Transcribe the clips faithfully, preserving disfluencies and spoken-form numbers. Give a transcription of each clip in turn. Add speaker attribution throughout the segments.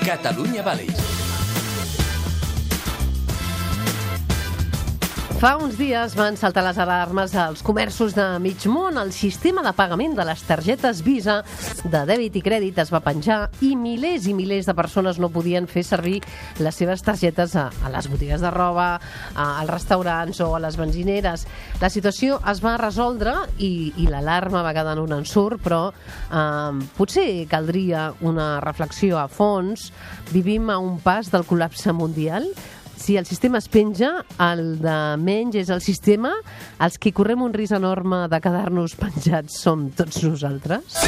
Speaker 1: Catalunya Valley.
Speaker 2: Fa uns dies van saltar les alarmes als comerços de mig món. El sistema de pagament de les targetes Visa de dèbit i crèdit es va penjar i milers i milers de persones no podien fer servir les seves targetes a, a les botigues de roba, a, als restaurants o a les benzineres. La situació es va resoldre i, i l'alarma va quedar en un ensurt, però eh, potser caldria una reflexió a fons. Vivim a un pas del col·lapse mundial. Si el sistema es penja, el de menys és el sistema. Els que correm un risc enorme de quedar-nos penjats som tots nosaltres.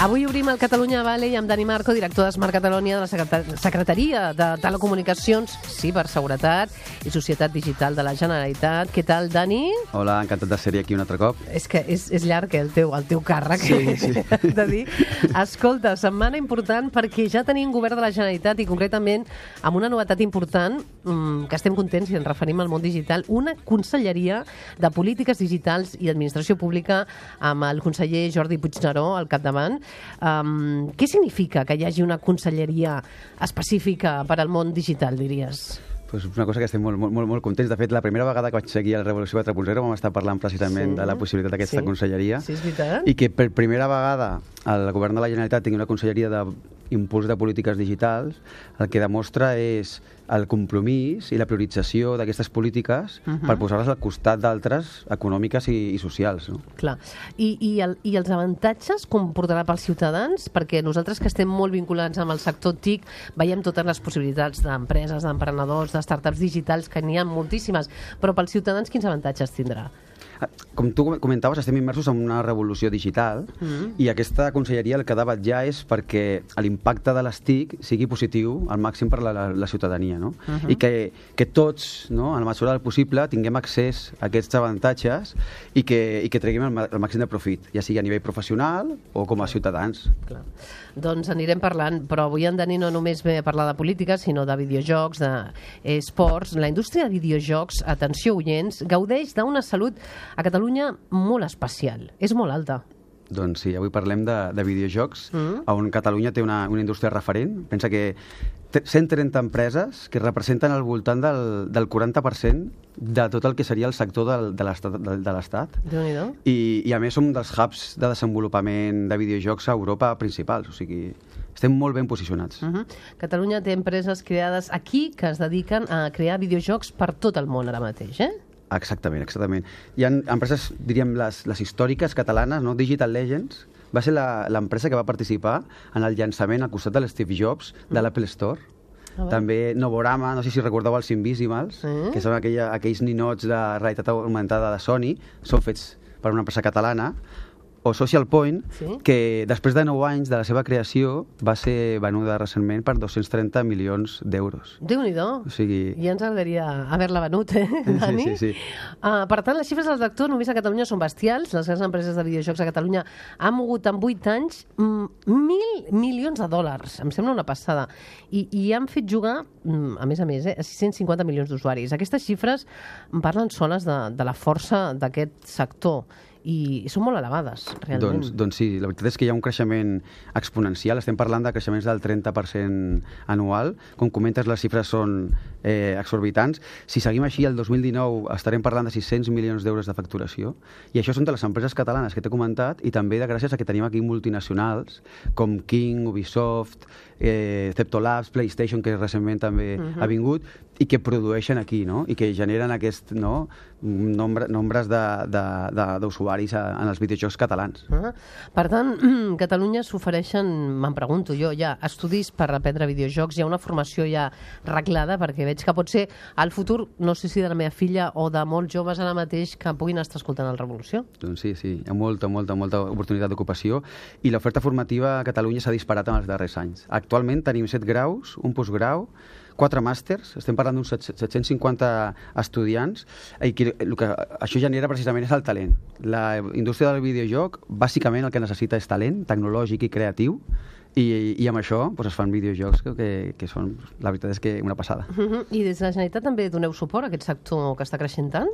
Speaker 2: Avui obrim el Catalunya Valley amb Dani Marco, director de Smart Catalonia de la Secretaria de Telecomunicacions, Ciberseguretat i Societat Digital de la Generalitat. Què tal, Dani?
Speaker 3: Hola, encantat de ser aquí un altre cop.
Speaker 2: És que és, és llarg, eh, el teu, el teu càrrec.
Speaker 3: Sí, sí.
Speaker 2: De dir. Escolta, setmana important perquè ja tenim govern de la Generalitat i concretament amb una novetat important mmm, que estem contents i ens referim al món digital, una conselleria de polítiques digitals i administració pública amb el conseller Jordi Puigneró al capdavant. Um, què significa que hi hagi una conselleria específica per al món digital, diries?
Speaker 3: Pues una cosa que estem molt, molt, molt contents. De fet, la primera vegada que vaig seguir a la Revolució quatre punt zero vam estar parlant precisament sí, de la possibilitat d'aquesta
Speaker 2: sí,
Speaker 3: conselleria.
Speaker 2: Sí, és veritat.
Speaker 3: I que per primera vegada el govern de la Generalitat tingui una conselleria d'impuls de polítiques digitals, el que demostra és el compromís i la priorització d'aquestes polítiques uh -huh. per posar-les al costat d'altres econòmiques i, i socials. No?
Speaker 2: Clar. I, i, el, I els avantatges com portarà pels ciutadans? Perquè nosaltres que estem molt vinculats amb el sector T I C veiem totes les possibilitats d'empreses, d'emprenedors, de startups digitals, que n'hi ha moltíssimes, però pels ciutadans quins avantatges tindrà?
Speaker 3: Com tu comentaves, estem immersos en una revolució digital mm. i aquesta conselleria el que ha de vetllar és perquè l'impacte de les T I C sigui positiu al màxim per la, la, la ciutadania, no? Uh -huh. I que, que tots, no, en la mesura del possible, tinguem accés a aquests avantatges i que, i que treguem el, el màxim de profit, ja sigui a nivell professional o com a ciutadans.
Speaker 2: Clar. Doncs anirem parlant, però avui en Dani no només ve a parlar de política, sinó de videojocs, d'esports. La indústria de videojocs, atenció oients, gaudeix d'una salut a Catalunya molt especial. És molt alta.
Speaker 3: Doncs sí, avui parlem de, de videojocs,
Speaker 2: mm.
Speaker 3: on Catalunya té una, una indústria referent. Pensa que cent trenta empreses que representen al voltant del, del quaranta per cent de tot el que seria el sector del, de l'Estat.
Speaker 2: Déu-n'hi-do.
Speaker 3: I, I a més som dels hubs de desenvolupament de videojocs a Europa principals, o sigui, estem molt ben posicionats.
Speaker 2: Uh -huh. Catalunya té empreses creades aquí que es dediquen a crear videojocs per tot el món ara mateix, eh?
Speaker 3: Exactament, exactament. Hi ha empreses, diríem, les, les històriques catalanes, no? Digital Legends va ser l'empresa que va participar en el llançament al costat de l'Steve Jobs de l'Apple Store. Ah, també Novorama, no sé si recordeu els Invisimals, eh? que són aquella, aquells ninots de realitat augmentada de Sony, són fets per una empresa catalana, o Social Point, sí? que després de nou anys de la seva creació va ser venuda recentment per dos-cents trenta milions d'euros.
Speaker 2: Déu-n'hi-do.
Speaker 3: O sigui...
Speaker 2: Ja ens agradaria haver-la venut, eh, Dani?
Speaker 3: Sí, sí, sí.
Speaker 2: Uh, per tant, les xifres del sector només a Catalunya són bestials. Les grans empreses de videojocs a Catalunya han mogut en vuit anys mm, mil milions de dòlars. Em sembla una passada. I, i han fet jugar, mm, a més a més, eh, a sis-cents cinquanta milions d'usuaris. Aquestes xifres parlen soles de, de la força d'aquest sector i són molt elevades, realment.
Speaker 3: Doncs, doncs sí, la veritat és que hi ha un creixement exponencial, estem parlant de creixements del trenta per cent anual, com comentes les xifres són eh, exorbitants. Si seguim així, el dos mil dinou estarem parlant de sis-cents milions d'euros de facturació, i això són de les empreses catalanes que t'he comentat, i també de gràcies a que tenim aquí multinacionals com King, Ubisoft, eh, Ceptolabs, PlayStation, que recentment també uh-huh. ha vingut, i que produeixen aquí, no? I que generen aquest, no? Nombre, nombres d'usuaris en els videojocs catalans.
Speaker 2: Ah, per tant, Catalunya s'ofereixen, me'n pregunto jo, ja estudis per aprendre videojocs, hi ha una formació ja reglada, perquè veig que pot ser al futur, no sé si de la meva filla o de molts joves ara mateix que puguin estar escoltant la Revolució.
Speaker 3: Doncs sí, sí, hi ha molta, molta, molta oportunitat d'ocupació i l'oferta formativa a Catalunya s'ha disparat en els darrers anys. Actualment tenim set graus, un postgrau, quatre màsters, estem parlant d'uns set-cents cinquanta estudiants, i que, el que això genera precisament és el talent. La indústria del videojoc, bàsicament el que necessita és talent tecnològic i creatiu, I, i amb això doncs, es fan videojocs que, que, que són, la veritat és que una passada.
Speaker 2: Uh-huh. I des de la Generalitat també doneu suport a aquest sector que està creixent tant?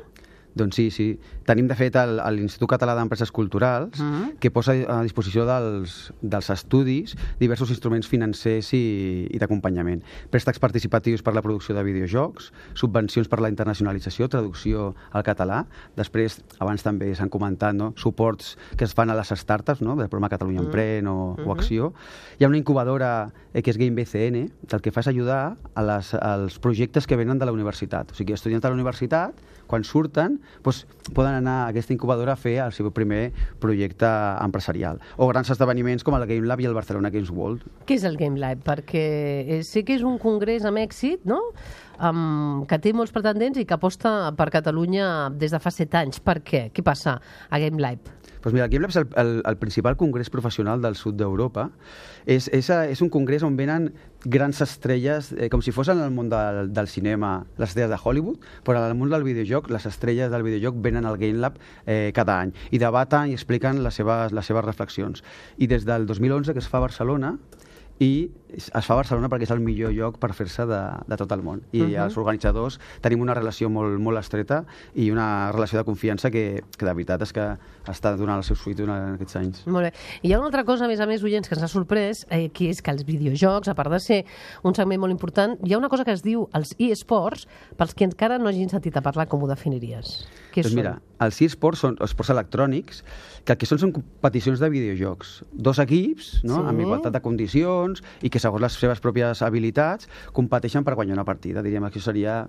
Speaker 3: Doncs sí, sí. Tenim, de fet, el- l'Institut Català d'Empreses Culturals,
Speaker 2: Mhm.
Speaker 3: que posa a disposició dels, dels estudis diversos instruments financers i, i d'acompanyament. Préstecs participatius per la producció de videojocs, subvencions per la internacionalització, traducció al català. Després, abans també s'han comentat, no? Suports que es fan a les startups, no? Del programa Catalunya Emprèn o, o Acció. Hi ha una incubadora eh, que és Game B C N, que el que fa és ajudar a les, als projectes que venen de la universitat. O sigui, estudiants de la universitat, quan surten, doncs, poden anar a aquesta incubadora a fer el seu primer projecte empresarial. O grans esdeveniments com el Game Lab i el Barcelona Games World.
Speaker 2: Què és el Game Lab? Perquè eh, sé que és un congrés amb èxit, no? Um, que té molts pretendents i que aposta per Catalunya des de fa set anys. Per què? Què passa a Game Lab?
Speaker 3: Doncs mira, el Game Lab és el, el, el principal congrés professional del sud d'Europa. És, és, és un congrés on venen grans estrelles, eh, com si fos en el món del, del cinema, les estrelles de Hollywood, però en el món del videojoc, les estrelles del videojoc venen al Game Lab eh, cada any i debaten i expliquen les seves, les seves reflexions. I des del dos mil onze que es fa a Barcelona, i es fa a Barcelona perquè és el millor lloc per fer-se de, de tot el món. I uh -huh. els organitzadors tenim una relació molt, molt estreta i una relació de confiança que, que de veritat és que està donant el seu fruit durant aquests anys.
Speaker 2: Molt bé. I hi ha una altra cosa, a més a més, oients, que ens ha sorprès, eh, que és que els videojocs, a part de ser un segment molt important, hi ha una cosa que es diu els e-sports, pels que encara no hagin sentit a parlar, com ho definiries? Què
Speaker 3: Doncs
Speaker 2: són?
Speaker 3: mira, els e-sports són esports electrònics, que el que són són competicions de videojocs. Dos equips, no?
Speaker 2: Sí.
Speaker 3: Amb igualtat de condicions, i que segons les seves pròpies habilitats competeixen per guanyar una partida. Diríem que això seria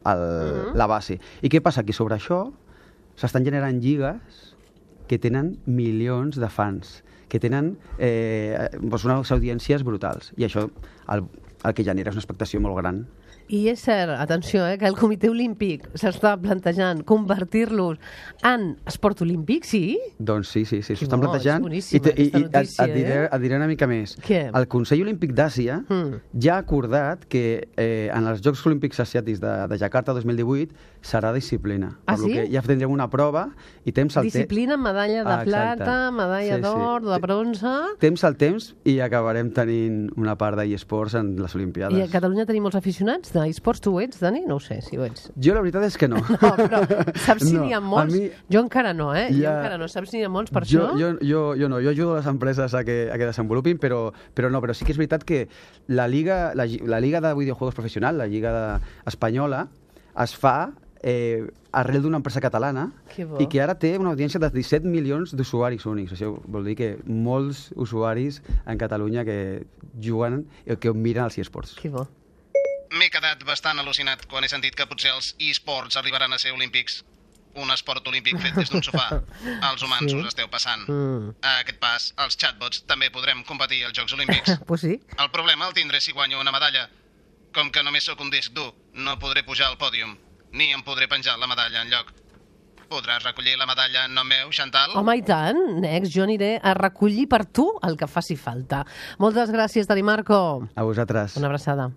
Speaker 3: el,
Speaker 2: Mhm.
Speaker 3: la base. I què passa? Que sobre això s'estan generant lligues que tenen milions de fans, que tenen eh, doncs unes audiències brutals. I això el, el que genera és una expectació molt gran.
Speaker 2: I és cert, atenció, eh, que el Comitè Olímpic s'està plantejant convertir-los en esport olímpic, sí?
Speaker 3: Doncs sí, sí, sí,
Speaker 2: Que
Speaker 3: s'ho estan
Speaker 2: bo,
Speaker 3: plantejant.
Speaker 2: és boníssima
Speaker 3: te-
Speaker 2: aquesta
Speaker 3: i, et,
Speaker 2: notícia,
Speaker 3: et, diré,
Speaker 2: eh?
Speaker 3: et diré una mica més.
Speaker 2: Què?
Speaker 3: El Consell Olímpic d'Àsia
Speaker 2: Mm.
Speaker 3: ja ha acordat que eh, en els Jocs Olímpics Asiàtics de, de Jakarta dos mil divuit serà disciplina.
Speaker 2: Ah,
Speaker 3: per lo
Speaker 2: sí?
Speaker 3: que ja tindrem una prova i temps al temps.
Speaker 2: Disciplina, medalla de
Speaker 3: Ah, exacte.
Speaker 2: plata, medalla
Speaker 3: Sí, sí.
Speaker 2: d'or, de bronze...
Speaker 3: Temps al temps i acabarem tenint una part d'eSports en les Olimpiades.
Speaker 2: I a Catalunya tenim molts aficionats d'esports. Tu ho ets, Dani? No ho sé, si ho ets.
Speaker 3: Jo la veritat és que no.
Speaker 2: No, però saps si
Speaker 3: No,
Speaker 2: n'hi ha
Speaker 3: a
Speaker 2: molts?
Speaker 3: mi-
Speaker 2: Jo encara no, eh? Jo
Speaker 3: Ja-
Speaker 2: encara no. Saps si n'hi ha molts per
Speaker 3: jo,
Speaker 2: això?
Speaker 3: jo, jo, jo no, jo ajudo les empreses a que, a que desenvolupin, però, però no, però sí que és veritat que la Liga, la, la Liga de Videojuegos Professional, la Lliga de, espanyola, es fa eh, arrel d'una empresa catalana
Speaker 2: Que bo.
Speaker 3: i que ara té una audiència de disset milions d'usuaris únics. Això vol dir que molts usuaris en Catalunya que juguen i que miren els eSports.
Speaker 2: Que bo.
Speaker 1: M'he quedat bastant al·lucinat quan he sentit que potser els e-sports arribaran a ser olímpics. Un esport olímpic fet des d'un sofà. Els humans
Speaker 2: Sí.
Speaker 1: us esteu passant.
Speaker 2: Mm.
Speaker 1: A aquest pas, els chatbots també podrem competir als Jocs Olímpics.
Speaker 2: Pues sí.
Speaker 1: El problema el tindré si guanyo una medalla. Com que només sóc un disc dur, no podré pujar al pòdium, ni em podré penjar la medalla enlloc. Podràs recollir la medalla en nom meu, Chantal?
Speaker 2: Home, i tant, Nex, jo aniré a recollir per tu el que faci falta. Moltes gràcies, Dani Marco.
Speaker 3: A vosaltres.
Speaker 2: Una abraçada.